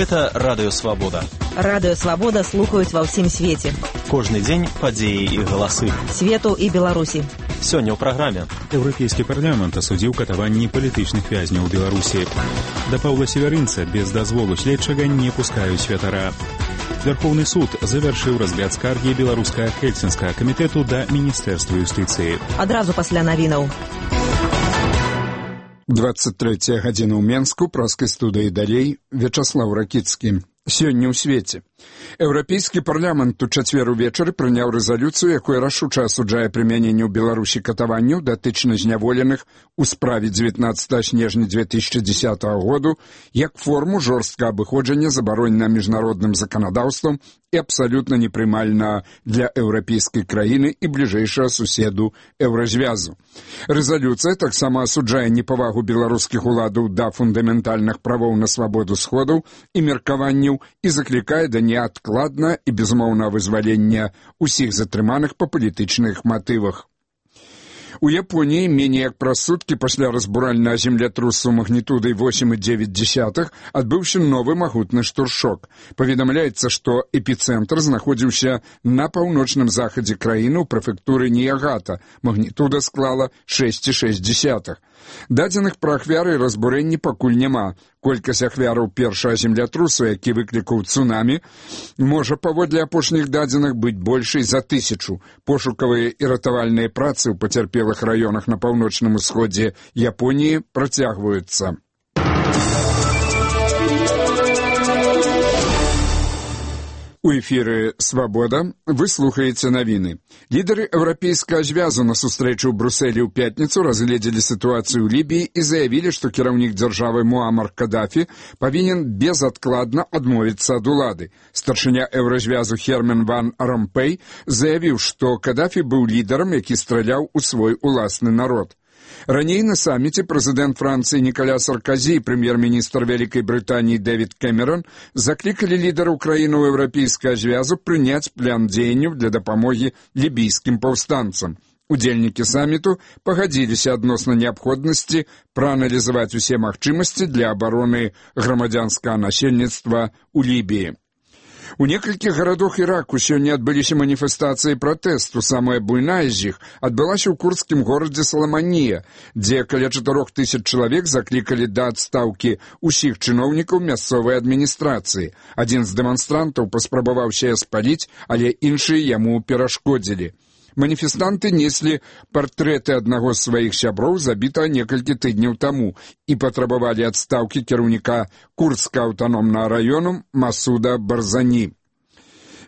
Гэта Радыё Свабода. Радыё Свабода слухаюць ва ўсім свеце. Кожны дзень падзеі і галасы. Свету і Беларусі. Сёння ў праграме. Еўрапейскі парламент асудзіў катаванні палітычных вязняў у Беларусі. Да Паўла Севярынца без дазволу следчага не пускаюць святара. Верховны суд завяршыў разгляд скаргі беларускага Хельсінскага камітэту да Міністэрства юстыцыі. Адразу пасля навінаў. 23 гадзіна ў Менску, праскай студыі далей, Вячаслаў Ракіцкі. Сёння ў свеце. Еўрапейскі парламент у чацвер увечары прыняў рэзалюцыю, якая рашуча асуджае прымяненне ў Беларусі катаванняў датычна зняволеных у справе 19 снежня 2010 году як форму жорсткага абыходжання забаронена міжнародным заканадаўствам і абсалютна непрымальна для еўрапейскай краіны і бліжэйшага суседу Еўразвязу. Рэзалюцыя таксама асуджае непавагу беларускіх уладаў да фундаментальных правоў на свабоду сходаў і меркаванняў і заклікае да неадкладна і безумоўнага вызвалення ўсіх затрыманых па палітычных матывах. У Японіі меней як праз суткі пасля разбуральнага землятрусу магнітудай 8,9 адбыўся новы магутны штуршок. Паведамляецца, што эпіцэнтр знаходзіўся на паўночным захадзе краіны ў прэфектуры Ніягата. Магнітуда склала 6,6. Дадзеных пра ахвяры і разбурэнні пакуль няма. Колькасць ахвяраў першага землятрусу, які выклікаў цунамі, можа паводле апошніх дадзеных быць большай за 1000. Пошукавыя і ратавальныя працы ў пацярпелых раёнах на паўночным усходзе Японіі працягваюцца. У эфіры «Свабода» вы слухаеце навіны. Лідары Еўрапейскага звязу на сустрэчы ў Брусэлі ў пятніцу разгледзелі сітуацыю ў Лібіі і заявілі, што кіраўнік дзяржавы Муамар Кадафі павінен безадкладна адмовіцца ад улады. Старшыня Еўразвязу Херман ван Ромпэй заявіў, што Кадафі быў лідарам, які страляў у свой уласны народ. Раней на саміце прэзідэнт Францыі Ніколя Саркозі і прэм'ер-міністр Вялікай Брытаніі Дэвід Кэмерон заклікалі лідараў краінаў Еўрапейскага звязу прыняць план дзеянняў для дапамогі лібійскім паўстанцам. Удзельнікі саміту пагадзіліся адносна неабходнасці прааналізаваць усе магчымасці для абароны грамадзянскага насельніцтва ў Лібіі. У некалькіх гарадах Іраку сёння адбыліся маніфестацыі пратэсту. Самая буйная з іх адбылася ў курдскім горадзе Саламанія, дзе каля 4000 чалавек заклікалі да адстаўкі ўсіх чыноўнікаў мясцовай адміністрацыі. Адзін з дэманстрантаў паспрабаваў сяе спаліць, але іншыя яму перашкодзілі. Маніфестанты неслі партрэты аднаго з сваіх сяброў, забітага некалькі тыдняў таму, і патрабавалі адстаўкі кіраўніка курдскага аўтаномнага раёну Масуда Барзані.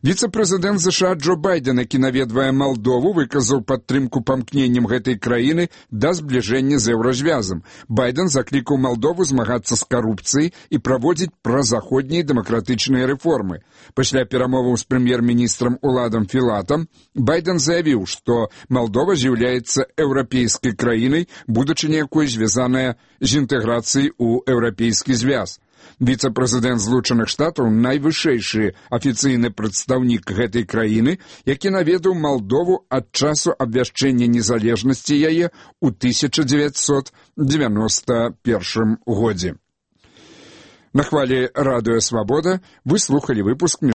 Віцэ-прэзідэнт США Джо Байден, які наведвае Малдову, выказаў падтрымку памкненням гэтай краіны да збліжэння з Еўразвязам. Байден заклікаў Малдову змагацца з карупцыяй і праводзіць празаходнія дэмакратычныя рэформы. Пасля перамоваў з прэм'ер-міністрам Уладам Філатам Байден заявіў, што Малдова з'яўляецца еўрапейскай краінай, будучыня якой звязаная з інтэграцыяй у Еўрапейскі звяз. Віцэ-прэзідэнт Злучаных Штатаў, найвышэйшы афіцыйны прадстаўнік гэтай краіны, які наведаў Малдову ад часу абвяшчэння незалежнасці яе ў 1991 годзе. На хвалі Радыё Свабода вы слухалі выпуск